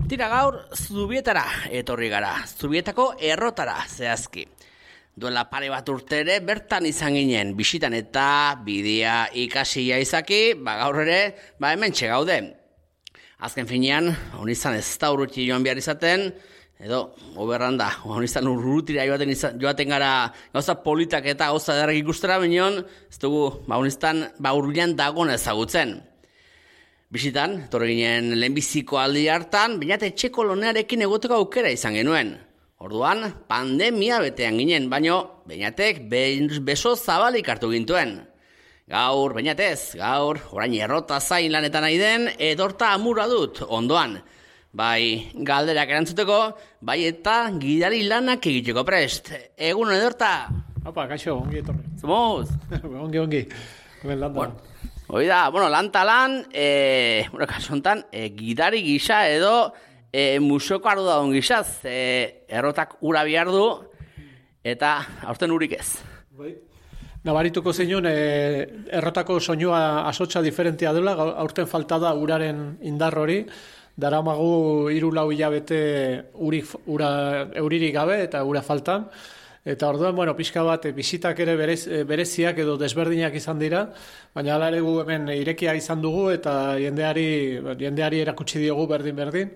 Tira gaur, Zubietara etorri gara, Zubietako errotara zehazki. Duela pare bat urte ere bertan izan ginen, bisitan eta bidea ikasia izaki, gaur ere, hementxe gaude. Azken finean, honizan ez da urruti joan behar izaten, edo, oberran da, honizan urrutira joaten gara gauza politak eta gauza derrak ikustera, binion, ez dugu, honizan, urbilan dagoen ezagutzen. Bisitan, etorri ginen lehenbiziko aldi hartan, bainat etxeko lonearekin egoteko aukera izan genuen. Orduan, pandemia betean ginen, baino, bainatek beso zabalik hartu gintuen. Gaur, bainatez, orain errota zain lanetan nahi den, edorta amura dut, ondoan. Bai, galderak erantzuteko, bai eta gidari lanak egiteko prest. Egun edorta? Opa, kaixo, ongi etorri. Zumuz? ongi. Hoi da, lan, kasu honetan, gidari gisa edo museoko ardudadun gisaz, errotak ura behar du, eta aurten urik ez. Bai. Nabarituko zeinon, errotako soinua asotza diferentia dela, aurten falta da uraren indar hori, daramagu 3-4 hilabete euririk gabe eta ura faltan, eta orduan, pixka bat, bisitak ere bereziak edo desberdinak izan dira, baina hala ere gu hemen irekia izan dugu eta jendeari erakutsi diogu berdin.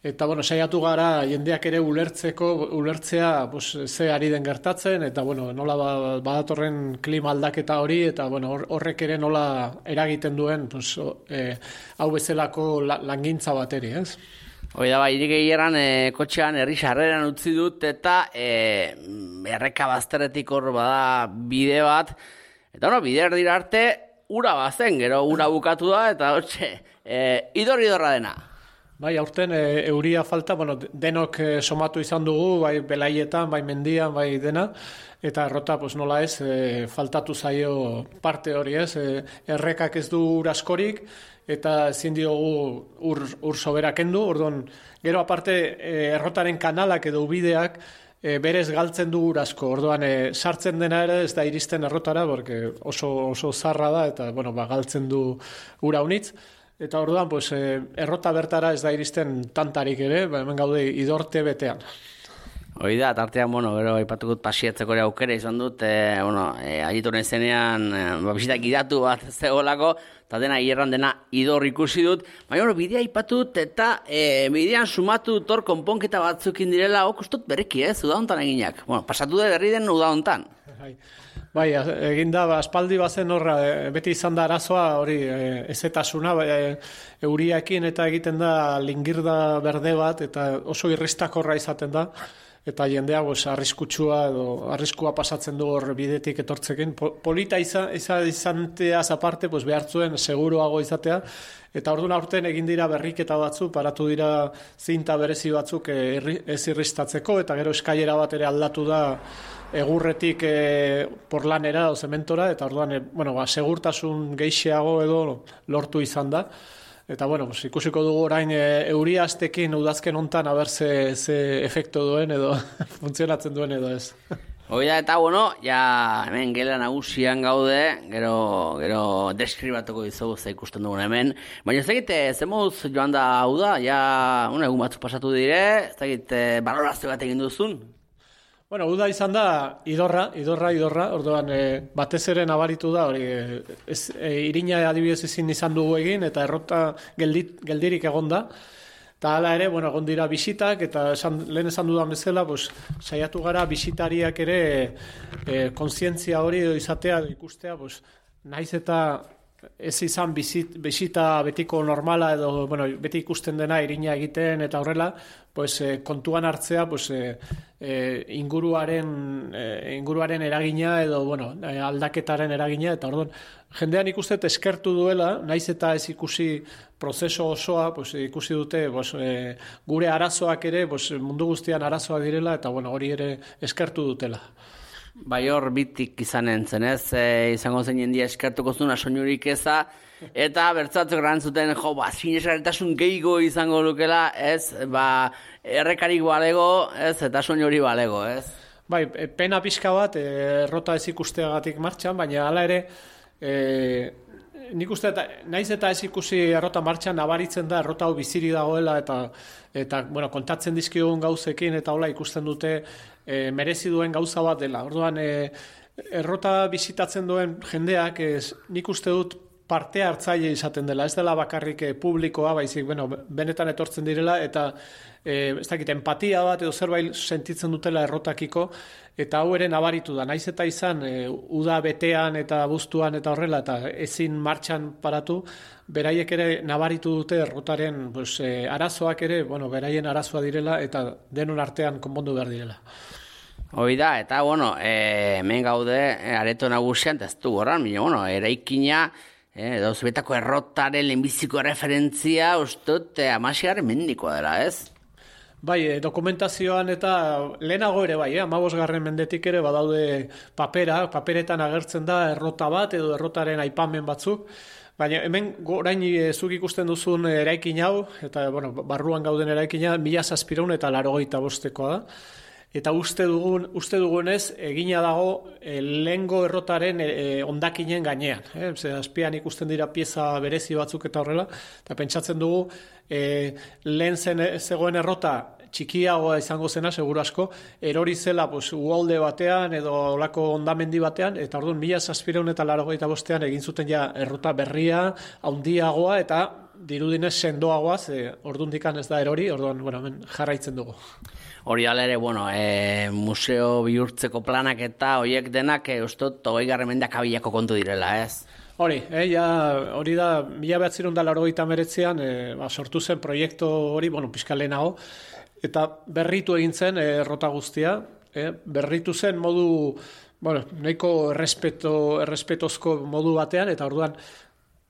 Eta, saiatu gara jendeak ere ulertzea ze ari den gertatzen, eta, nola badatorren klima aldaketa hori, eta, horrek ere nola eragiten duen, hau bezalako langintza bateri, ez? Hoi da, irikei erran kotxean herri sarreran utzi dut eta erreka bazteretik hor bada bide bat. Eta bide erdira arte ura bazen, gero ura bukatu da eta idorra dena. Bai, aurten euria falta, denok somatu izan dugu, bai belaietan, bai mendian, bai dena, eta errota nola ez, faltatu zaio parte hori ez, errekak ez du ur askorik, eta ezin diogu ur sobera kendu, orduan, gero aparte errotaren kanalak edo ubideak berez galtzen du ur asko, orduan sartzen dena ere ez da iristen errotara, porque oso zarra da, eta galtzen du ura unitz, eta orduan errota bertara ez da iristen tantarik ere, hemen gaude idorte betean. Hoi da, tartean, gero aipatukut pasiatzeko ere aukera izan dut, agitu zenean, bisitak gidatu bat zegoelako, eta dena hierran dena idor ikusi dut, baina bidea aipatut eta bidean sumatu tor konponketa batzukin direla, ustut berriki ez, udauntan eginak. Pasatu da berri den udauntan. Bai, eginda, aspaldi bazen horra, beti izan da arazoa, hori, ezetasuna, euriakin eta egiten da lingirda berde bat, eta oso irristakorra izaten da, eta jendea arriskutsua edo arriskua pasatzen du hor bidetik etortzekin. Polita izanteaz aparte, behartzuen seguruago izatea, eta orduan aurten egin dira berriketa batzuk, paratu dira zinta berezi batzuk ez irristatzeko, eta gero eskailera bat ere aldatu da egurretik porlanera o zementora, eta orduan segurtasun gehixeago edo lortu izan da. Eta, ikusiko dugu orain euria astekin udazken hontan aber ze efektu duen edo funtzionatzen duen edo ez. Hoi da, eta, hemen gela nagusian gaude, gero deskribatuko dizugu ze ikusten dugun hemen. Baina ez dakit, zemuz joan da hau da, egun batzuk pasatu dire, ez dakit, balorazio bat egin duzun? Uda izan da idorra, orduan batez ere nabaritu da, irina adibidez ezin izan dugu egin, eta errota geldirik egon da, eta hala ere, egon dira bisitak, eta lehen esan dudan bezala, saiatu gara bisitariak ere kontzientzia hori izatea, ikustea, naiz eta ez izan bisita betiko normala edo beti ikusten dena irina egiten eta horrela, kontuan hartzea inguruaren eragina edo aldaketaren eragina, eta orduan jendean ikustet eskertu duela, naiz eta ez ikusi prozeso osoa, ikusi dute gure arazoak ere, mundu guztian arazoak direla, eta hori ere eskertu dutela. Bai hor bitik izanen zenez, izango zen jendia eskertuko zuna soinurik eza, eta bertzatzuk erantzuten, sinesgarritasun gehiago izango lukela, ez, errekarik balego, ez, eta soinuri balego, ez. Bai, pena pixka bat, errota ez ikusteagatik martxan, baina hala ere, nik uste, naiz eta ez ikusi errota martxan nabaritzen da errota hau biziri dagoela eta bueno, kontatzen dizkigun gauzekin eta hola ikusten dute merezi duen gauza bat dela. Orduan, errota bizitatzen duen jendeak nik uste dut parte hartzaile izaten dela, ez dela bakarrik publikoa, baizik, bueno, benetan etortzen direla, eta ez dakit, empatia bat edo zerbait sentitzen dutela errotakiko, eta hau ere nabaritu da, naiz eta izan, uda betean eta buztuan eta horrela, eta ezin martxan paratu, beraiek ere nabaritu dute errotaren arazoak ere, bueno, beraien arazoa direla, eta denon artean konpondu behar direla. Hoi da, eta, bueno, hemen gaude, areto nagusian, ez du horran, bueno, eraikina, edo Zubietako errotaren lehenbiziko referentzia, ustut, amasigarren mendikoa dela, ez? Bai, dokumentazioan eta lehenago ere bai, 15. mendetik ere badaude paperetan agertzen da errota bat edo errotaren aipamen batzuk, baina hemen orain zuk ikusten duzun eraikin hau, eta bueno, barruan gauden eraikina 1785 da. Eta uste dugunez, egina dago lehengo errotaren hondakinen gainean. Azpian ikusten dira pieza berezi batzuk eta horrela, eta pentsatzen dugu lehen zegoen errota txikiagoa izango zena, seguru asko, erori zela uholde batean edo olako hondamendi batean, eta orduan 1785 egin zuten ja errota berria, handiagoa eta dirudinez sendoagoa, ordundikan ez da erori, orduan hemen jarraitzen dugu. Hori ere, bueno, museo bihurtzeko planak eta horiek denak, ustot, 20. mendeak abilako kontu direla, ez? Hori, hori da, 1989an sortu zen proiektu hori, bueno, pixka lehenago, eta berritu egin zen errota guztia, berritu zen modu, bueno, nahiko errespetozko modu batean, eta orduan,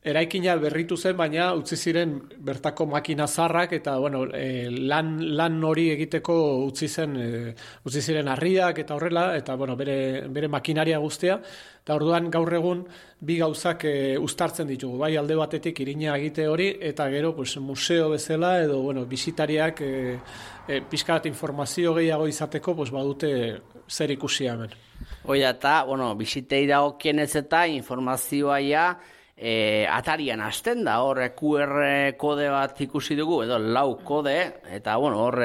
eraikina berritu zen, baina utzi ziren bertako makina zarrak eta bueno, lan hori egiteko utzi ziren harriak eta horrela, eta bueno, bere makinaria guztia, eta orduan gaur egun bi gauzak uztartzen ditugu, bai alde batetik irina egite hori, eta gero museo bezala edo bueno, bisitariak pixka bat informazio gehiago izateko badute zer ikusi hemen. Hoi eta, bueno, bisitei dagokienez eta informazioa ja, atarian hasten da, hor QR kode bat ikusi dugu, edo 4 kode, eta bueno, hor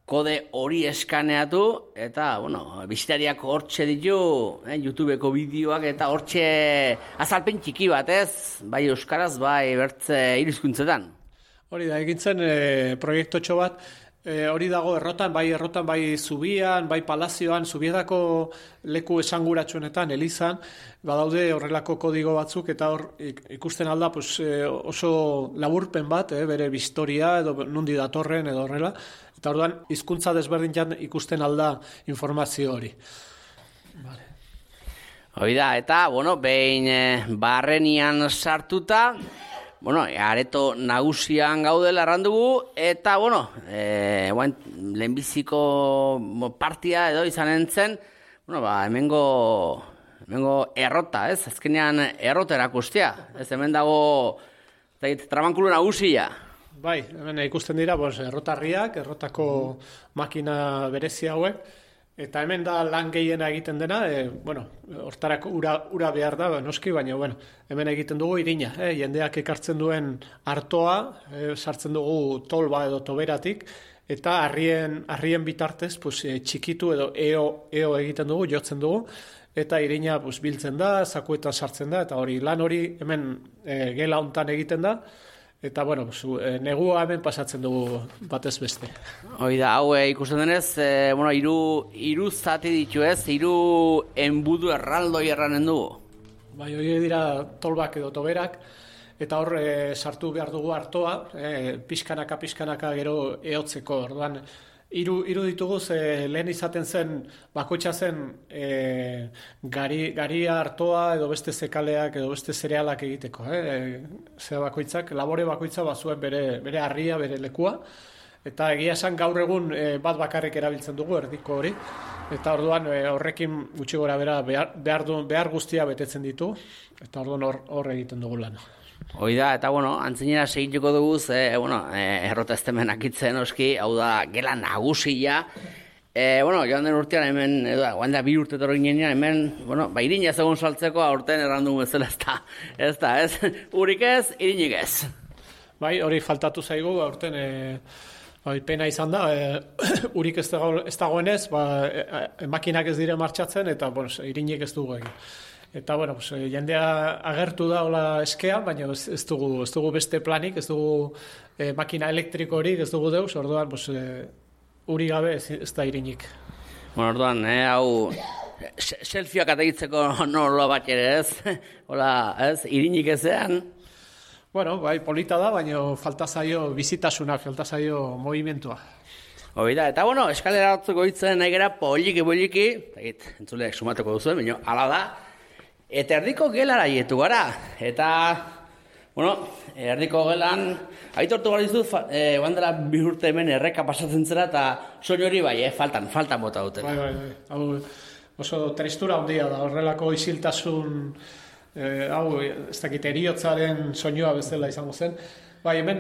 kode hori eskaneatu, eta bueno, bisitariak hortxe ditu, YouTubeko bideoak, eta hortxe azalpen txiki bat, ez? Bai euskaraz, bai bertze hizkuntzetan. Hori da, egintzen proiektotxo bat, hori dago errotan, bai Zubian, bai Palazioan, Zubietako leku esanguratsuenetan, Elizan, badaude horrelako kodigo batzuk, eta hor ikusten alda oso laburpen bat, bere historia, edo nundi datorren, edo horrela, eta orduan hizkuntza desberdintan ikusten alda informazio hori. Vale. Hoi da, eta, bueno, behin barrenian sartuta, bueno, areto nagusian gaudela errandugu, eta, bueno, lehenbiziko partia edo izanen zen, bueno, hemengo errota, ez? Azkenean errota erakustia, ez hemen dago trabankulu nagusia. Bai, hemen ikusten dira, errotarriak, errotako makina berezi hauek, eta hemen da lan gehiena egiten dena, hortarako ura behar da, noski, baina, hemen egiten dugu irina, jendeak ekartzen duen artoa, sartzen dugu tolba edo toberatik, eta harrien bitartez, txikitu edo eo egiten dugu, jotzen dugu, eta irina biltzen da, zakuetan sartzen da, eta lan hori hemen gela hontan egiten da, eta, negua hemen pasatzen dugu batez beste. Hoi da, hau ikusten denez, hiru zati ditu ez, 3 enbudu erraldoi erranen dugu. Bai, hori dira tolbak edo toberak, eta hor sartu behar dugu hartoa, pixkanaka gero ehotzeko, orduan, hiru ditugu, lehen izaten zen, bakoitza zen garia hartoa edo beste zekaleak edo beste zerealak egiteko. Bakoitzak, labore bakoitza bazuen bere harria, bere lekua, eta egia esan gaur egun bat bakarrik erabiltzen dugu, erdiko hori, eta orduan horrekin gutxi gora behar guztia betetzen ditu, eta orduan hor egiten dugu lan. Hoi da, eta antzinera segituko dugu, errota ez temen akitzen oski, hau da, gela nagusia, Joan den urtean hemen, guan da 2 urte torri ginean, hemen, irina zegoen saltzeko aurten errandu bezala ez da, urik ez, irinik ez. Bai, hori faltatu zaigu, aurten pena izan da, urik ez dagoenez, makinak ez dire martxatzen, eta irinik ez dugu egin. Eta, jendea agertu da hola eskea, baina ez dugu beste planik, ez dugu makina elektrikorik, ez dugu deus, orduan, uri gabe ez da irinik. Orduan, hau selfieak ategitzeko nola bat ere ez? Hola, ez? Irinik ezean? Bai, polita da, baina falta zaio bizitasuna, falta zaio movimentua. Eta eskalera batzuko hitzen nahi gara poliki, entzuleak sumateko duzuen, baina hala da. Eta erdiko gelara jetu gara. Eta, erdiko gelan, aitortu gara dizut, dela 2 urte hemen erreka pasatzen zera, eta soin hori faltan bota dute. Bai. Hau oso tristura handia da, horrelako isiltasun, ez dakit, eriotzaren soinua bezala izango zen. Hemen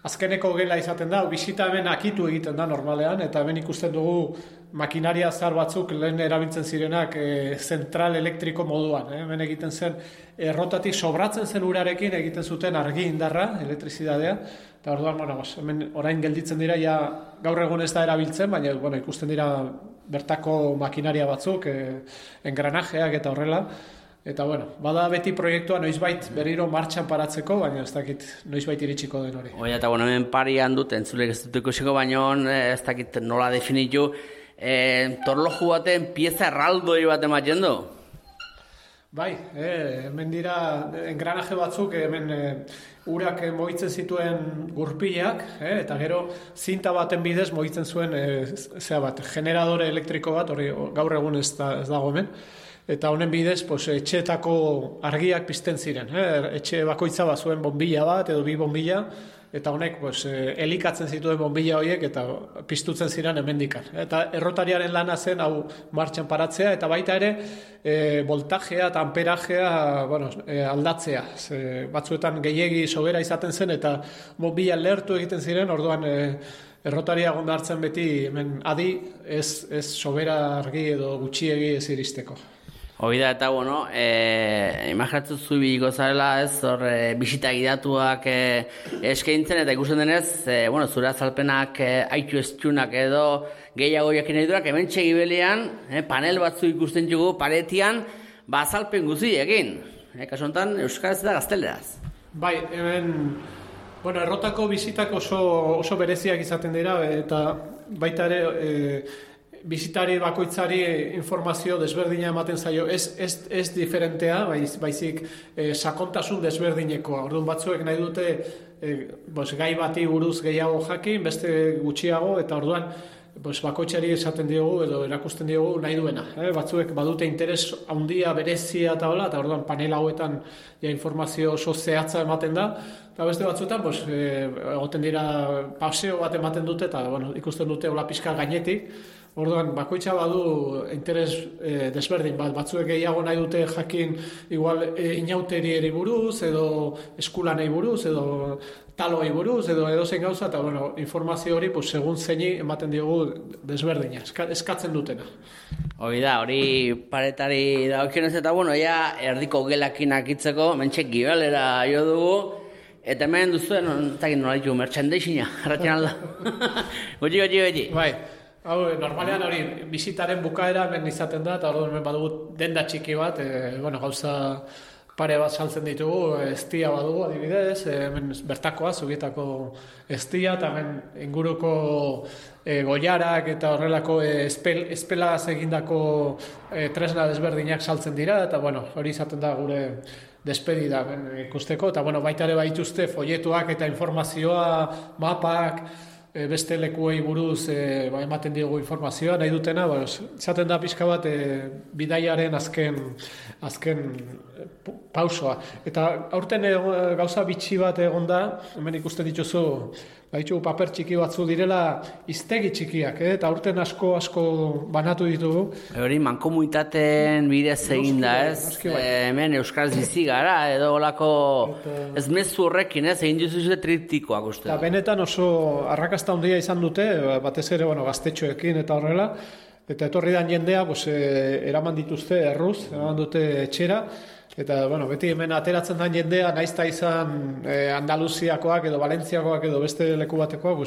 azkeneko gela izaten da, bisita hemen akitu egiten da normalean, eta hemen ikusten dugu makinaria zahar batzuk lehen erabiltzen zirenak zentral elektriko moduan. Hemen egiten zen, errotatik sobratzen zen urarekin egiten zuten argi indarra, elektrizidadea, eta orduan, hemen orain gelditzen dira, gaur egun ez da erabiltzen, baina ikusten dira bertako makinaria batzuk, engranajeak eta horrela. Eta, bada beti proiektua noizbait berriro martxan paratzeko, baina ez dakit noizbait iritsiko den hori. Eta, hemen parian dut, entzulek ez dut ikusiko, baina ez dakit nola definitu, torloju baten pieza erraldoi bat ematen du? Bai, hemen dira engranaje batzuk, hemen urak mogitzen zituen gurpilak, eta gero zinta baten bidez mogitzen zuen generadore elektriko bat, hori gaur egun ez dago hemen. Eta honen bidez, etxeetako argiak pizten ziren. Etxe bakoitza zuen bombilla bat edo 2 bombilla, eta honek elikatzen zituen bombilla horiek eta piztutzen ziren hemendikan. Eta errotariaren lana zen hau martxan paratzea, eta baita ere voltajea eta amperajea aldatzea. Batzuetan gehiegi sobera izaten zen eta bombilla lehertu egiten ziren, orduan errotaria gonda hartzen beti hemen adi ez sobera argi edo gutxiegi ez iristeko. Eta, imaginatzen zu biliko zarela, hor, bisita gidatuak eskaintzen, eta ikusten denez, zure azalpenak aitu estxunak edo gehiago jakin nahi durak, hemen txegibelean, panel batzu ikusten dugu paretian, azalpen guziekin. Kasu honetan, euskaraz eta gazteleraz. Bai, hemen, errotako bizitak oso bereziak izaten dira, eta baita ere, bizitari bakoitzari informazio desberdina ematen zaio, ez diferentea, baizik sakontasun desberdinekoa. Orduan batzuek nahi dute gai bati buruz gehiago jakin, beste gutxiago, eta orduan bakoitzari esaten diogu edo erakusten diogu nahi duena. Batzuek badute interes handia berezia eta hola, eta orduan panel hauetan informazio oso zehatza ematen da, eta beste batzuetan egoten dira paseo bat ematen dute, eta ikusten dute hola pixka gainetik. Orduan, bakoitza badu interes desberdin bat, batzuek gehiago nahi dute jakin igual inauterieri buruz, edo eskulanei buruz, edo taloei buruz, edo zein gauza, eta informazio hori segun zeini ematen diogu desberdina, eskatzen dutena. Hori paretari dagokionez eta erdiko gelakin akitzeko, mentxek gibalera jo dugu, eta hemen duzuen, ez dakit nola ditu, merchandising-a, arratxan alda. Gutxi. Bai. Normalean hori bisitaren bukaera hemen izaten da, eta hemen badugu denda txiki bat, gauza pare bat saltzen ditugu, estia badugu adibidez, hemen bertakoa, Zubietako estia, eta hemen inguruko goiarak eta horrelako espelaz egindako tresna desberdinak saltzen dira, eta hori izaten da gure despedida ikusteko, eta baita ere baituzte folletuak eta informazioa, mapak, beste lekuei buruz ematen diogu informazioa, nahi dutena, izaten da pixka bat bidaiaren azken pausoa. Eta aurten gauza bitxi bat egon da, hemen ikusten dituzu, baditugu paper txiki batzu direla iztegi txikiak, eta aurten asko banatu ditugu. Hori mankomunitateen bidez egin da, ez? Hemen euskaraz bizi gara, edo olako ez mezu horrekin, ez? Egin duzue tritikoak uste. Eta benetan oso arrakasta arrakasta handia izan dute, batez ere, gaztetxoekin eta horrela, eta etorri dan jendea, eraman dituzte erruz, eraman dute etxera, eta, beti hemen ateratzen den jendea, naizta izan Andaluziakoak edo Valentziakoak edo beste leku batekoak,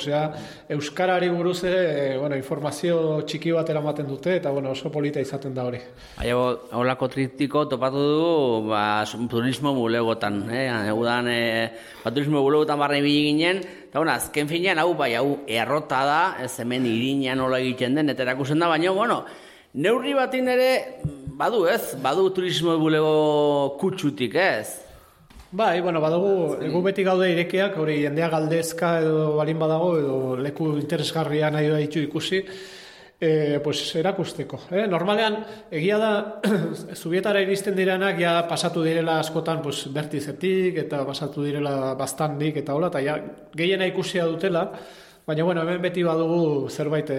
euskarari buruz ere, informazio txiki bat eramaten dute, eta, oso polita izaten da hori. Holako tritiko topatu du, turismo bulegotan, egudan, turismo bulegotan barra ibili ginen, eta, azken finean, hau errota da, ez hemen irinean nola egiten den, eta erakusten da, baina, neurri batin ere, badu turismo bulego kutsutik, ez? Bai, badugu, egu beti gaude irekiak, hori jendea galdezka edo balin badago, edo leku interesgarria nahi da ditu ikusi, erakusteko. Normalean, egia da, Zubietara iristen direnak, ja pasatu direla askotan bertizetik, eta pasatu direla bastandik, eta hola, eta gehiena ikusia dutela, baina, hemen beti badugu zerbait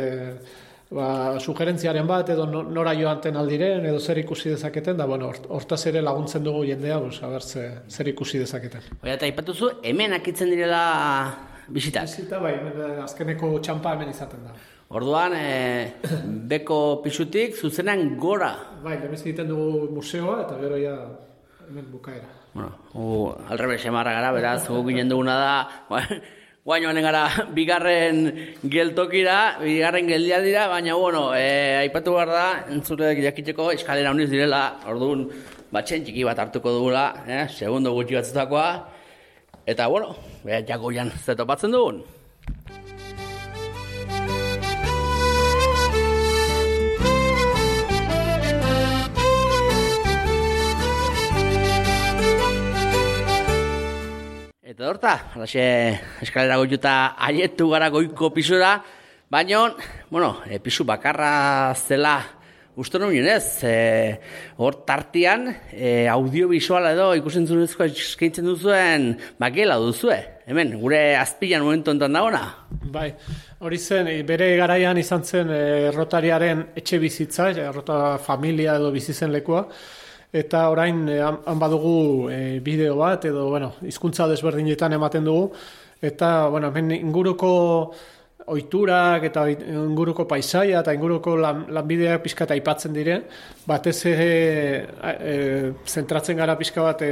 sugerentziaren bat, edo nora joanten aldiren, edo zer ikusi dezaketen, da, hortaz ere laguntzen dugu jendea, haber zer ikusi dezaketen. Eta ipatuzu, hemen akitzen direla bisitak? Bisita, bai, azkeneko txampa hemen izaten da. Orduan, beko pisutik, zuzenan gora. Bai, lemez egiten dugu museoa, eta gero ja hemen bukaera. Alrebes emarra gara, beraz, ginen duguna da, guaino honen gara bigarren geltokira, bigarren geldialdira, baina, aipatu behar da, entzulek jakiteko eskalera honiz direla, orduan, batxen txiki bat hartuko dugula, segundo gutxi batzutakoa, eta, jagoian zetopatzen dugun. Eta horta, eskalera goituta aietu gara goiko pisura, baina, pisu bakarra zela uste nuen ez, hor tartian, audiovisuala edo ikusentzunezkoa eskaintzen duzuen bakela duzue, hemen, gure azpilan momentu enten dagoena. Bai, hori zen, bere garaian izan zen errotariaren etxe bizitza, errota familia edo bizitzen lekua, eta orain han badugu bideo bat, edo, hizkuntza desberdinetan ematen dugu, eta, hemen inguruko ohiturak eta inguruko paisaia eta inguruko lanbideak pixka eta aipatzen dire, batez ere zentratzen gara pixka bat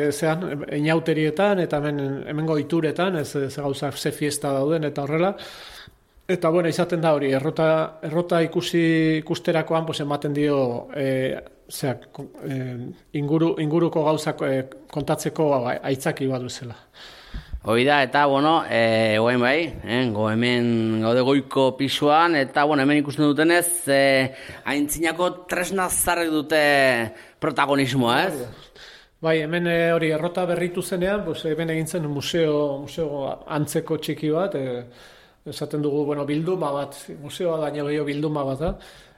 inauterietan eta hemengo ohituretan, ez gauza ze fiesta dauden eta horrela. Eta, izaten da hori, errota ikusterakoan ematen dio inguruko gauzak kontatzeko aitzaki bat duzela. Hoi da, eta, goen bai, hemen gaude goiko pisuan, eta, hemen ikusten dutenez, aintzinako tresna zarrek dute protagonismoa, ez? Bai, hemen hori errota berritu zenean, hemen egin zen museo antzeko txiki bat, esaten dugu, bilduma bat, museoa daño gehiago bilduma bat da,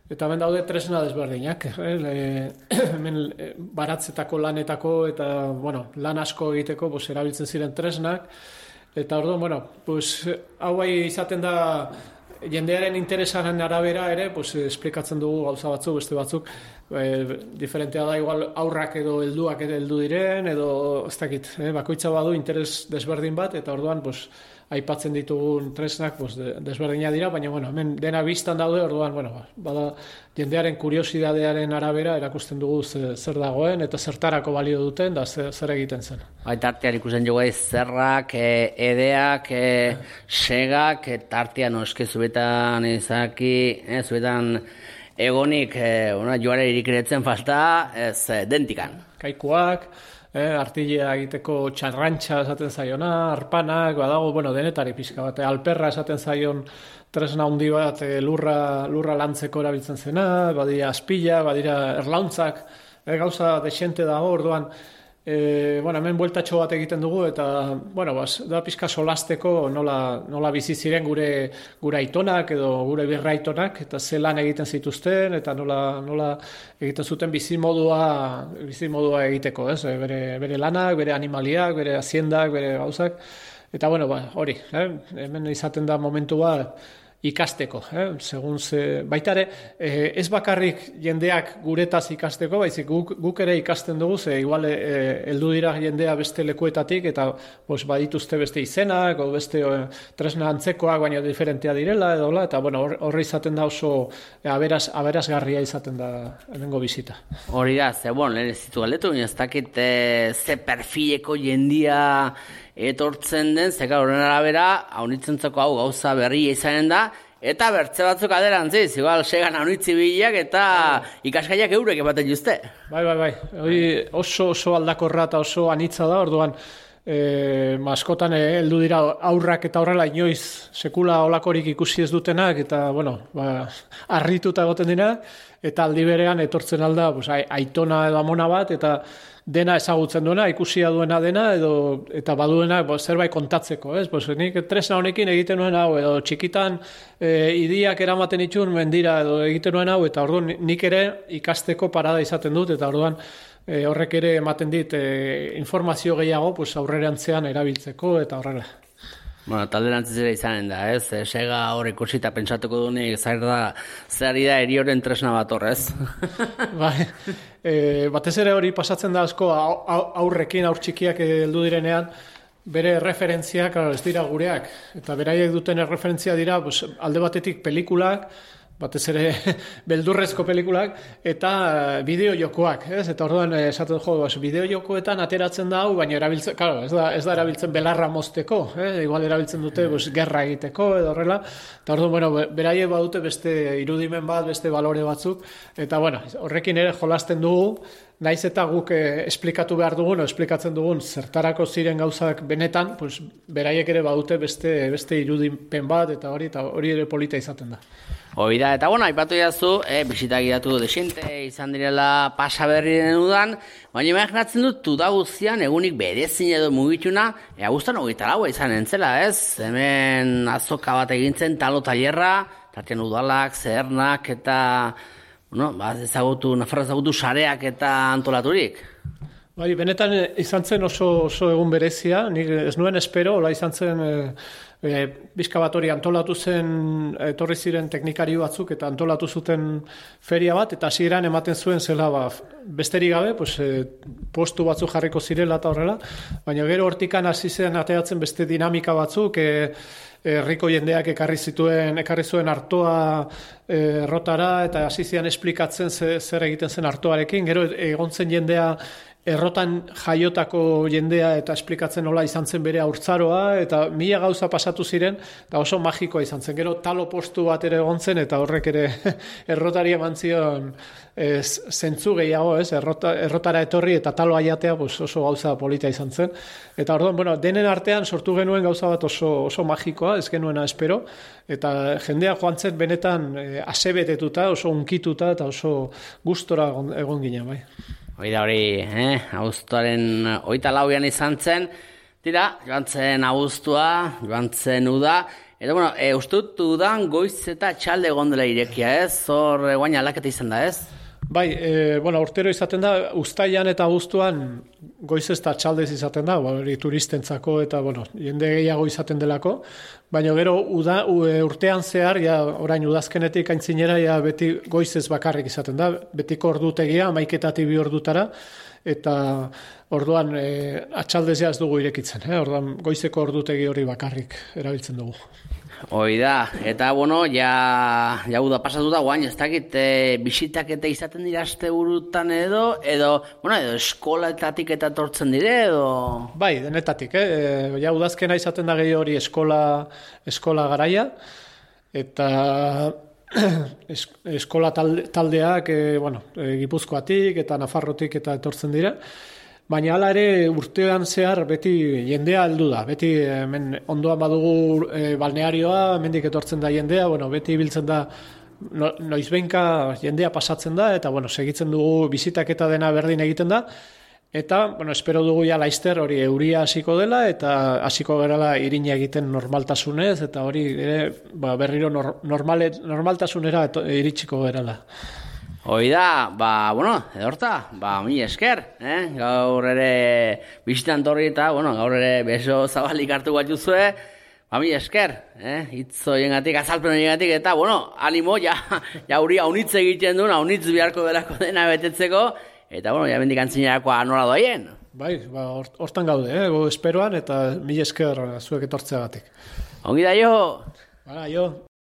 eta hemen daude tresna desberdinak, hemen baratzetako lanetako eta, lan asko egiteko, erabiltzen ziren tresnak, eta orduan, hau izaten da, jendearen interesaren arabera ere, esplikatzen dugu gauza batzuk, beste batzuk, diferentea da, igual aurrak edo helduak ere heldu diren, edo, ez dakit, bakoitza badu interes desberdin bat, eta orduan, aipatzen ditugun tresnak desberdina dira, baina hemen dena biztan daude, orduan, bada jendearen kuriosidadearen arabera erakusten dugu zer dagoen eta zertarako balio duten da zer egiten zen. Baita artean ikusten jogu zerrak, edeak, segak, eta artean oske zubetan izaki, zubetan egonik joare irikiretzen falta, ez dentikan. Kaikuak, artilea egiteko txarrantxa esaten zaiona, arpanak, badago, denetari pixka bat, alperra esaten zaion tresna handi bat lurra lantzeko erabiltzen zena, badira aspila, badira erlauntzak, gauza desente dago, orduan, hemen bueltatxo bat egiten dugu, eta, da pixka solasteko nola bizi ziren gure aitonak edo gure birraitonak, eta ze lan egiten zituzten, eta nola egiten zuten bizimodua egiteko, ez? Bere lanak, bere animaliak, bere haziendak, bere gauzak, eta hori, hemen izaten da momentu bat, ikasteko, segun baitare, ez bakarrik jendeak guretaz ikasteko, baizik guk ere ikasten dugu, ze igual heldu dira jendea beste lekuetatik, eta badituzte beste izenak, o beste tresna antzekoak, baina diferentea direla, edo, eta horre izaten da oso aberasgarria izaten da hemengo bizita. Hori da, lehen ez ditu galetu, ez dakit ze perfileko jendia etortzen den, zeka horren arabera, haunitzentzako hau gauza berria izanen da, eta bertze batzuk aderantziz, igual segan haunitzi bilak eta ikaskaiak eurek ematen juzte. Bai. Hori oso aldakorra eta oso anitza da, orduan, askotan heldu dira aurrak eta horrela inoiz sekula olakorik ikusi ez dutenak, eta, harrituta egoten dira, eta aldi berean etortzen alda, aitona edo amona bat, eta dena ezagutzen duena, ikusia duena dena, eta baduena zerbait kontatzeko, ez? Nik tresna honekin egiten nuen hau, edo txikitan idiak eramaten itxun mendira, edo egiten nuen hau, eta orduan nik ere ikasteko parada izaten dut, eta orduan horrek ere ematen dit informazio gehiago aurrerantzean erabiltzeko, eta horrela. Talderantziz ere izanen da, ez? Sega hor ikusita pentsatuko duenik zehari da erioren tresna bat horrez. Batez ere hori pasatzen da asko aurrekin, aur txikiak heldu direnean, bere referentziak ez dira gureak. Eta beraiek duten referentzia dira alde batetik pelikulak, batez ere beldurrezko pelikulak, eta bideo-jokoak, ez? Eta orduan esaten bideo-jokoetan ateratzen da hau, baina erabiltzen, ez da erabiltzen belarra mozteko, igual erabiltzen dute gerra egiteko, edo horrela, eta orduan, beraiek badute beste irudimen bat, beste balore batzuk, eta horrekin ere jolasten dugu, naiz eta guk esplikatu behar dugun, esplikatzen dugun zertarako ziren gauzak benetan, beraiek ere badute beste irudipen bat, eta hori ere polita izaten da. Hoi da, eta aipatu jazu, bisita giratu desente izan direla pasaberrien udan, baina imaginatzen dut da guztian egunik berezin edo mugituna, agustan 24 izan entzela, ez? Hemen azoka bat egintzen talo tailerra, tartean udalak, zehernak, eta Nafarra ezagutu sareak eta antolaturik. Benetan izan zen oso egun berezia, nik ez nuen espero, hola izan zen bizka bat hori antolatu zen, etorri ziren teknikari batzuk eta antolatu zuten feria bat, eta hasieran ematen zuen zela besterik gabe, postu batzuk jarriko zirela eta horrela, baina gero hortikan hasi zen ateratzen beste dinamika batzuk, herriko jendeak ekarri zuen artoa errotara, eta hasi zian esplikatzen zer egiten zen artoarekin, gero egon zen jendea errotan jaiotako jendea eta esplikatzen nola izan zen bere haurtzaroa, eta 1000 gauza pasatu ziren, eta oso magikoa izan zen. Gero talo postu bat ere egon zen, eta horrek ere errotari eman zion zentzu gehiago, errotara etorri eta talo aiatea oso gauza polita izan zen. Eta orduan, denen artean sortu genuen gauza bat oso magikoa, ez genuena espero, eta jendea joan zen benetan asebetetuta, oso unkituta, eta oso gustora egon ginen, bai. Hori, abuztuaren 24an izan zen, joan zen abuztua, joan zen uda, eta uste dut udan goiz eta txalde egon dela irekia, ez? Hor guain aldaketa izan da, ez? Bai, urtero izaten da, uztailan eta abuztuan goiz eta txaldez izaten da, turistentzako eta jende gehiago izaten delako, baina gero urtean zehar, orain udazkenetik aintzinera, beti goizez bakarrik izaten da, betiko ordutegia, 11 ordutara, eta orduan atxaldezea ez dugu irekitzen, orduan goizeko ordutegi hori bakarrik erabiltzen dugu. Hoi da, eta ja uda pasatu da guain, ez dakit bisitak eta izaten dira asteburutan edo eskoletatik eta tortzen dire edo? Bai, denetatik, ja udazkena izaten da gehi hori eskola garaia, eta eskola taldeak Gipuzkoatik eta Nafarrotik eta etortzen dira. Baina hala ere urtean zehar beti jendea heldu da. Beti hemen ondoan badugu balnearioa, hemendik etortzen da jendea, beti ibiltzen da noizbehinka jendea pasatzen da, eta segitzen dugu bisitak eta dena berdin egiten da. Eta, espero dugu ja laizter hori euria hasiko dela, eta hasiko gerala irina egiten normaltasunez, eta hori berriro normaltasunera iritsiko gerala. Hoi da, edorta, mi esker, gaur ere bisitan torri eta, gaur ere beso zabalik hartu bat juzue, Ami esker, hitz horiengatik, azalpen horiengatik, eta, bueno, animo, ja huri haunitz egiten duen, haunitz beharko delako dena betetzeko, eta, bueno, ja bendik antzinerakoa nola doaien. Bai, hortan gaude, esperoan, eta mila esker zuek etortzeagatik. Ongi da jo! Bara, jo!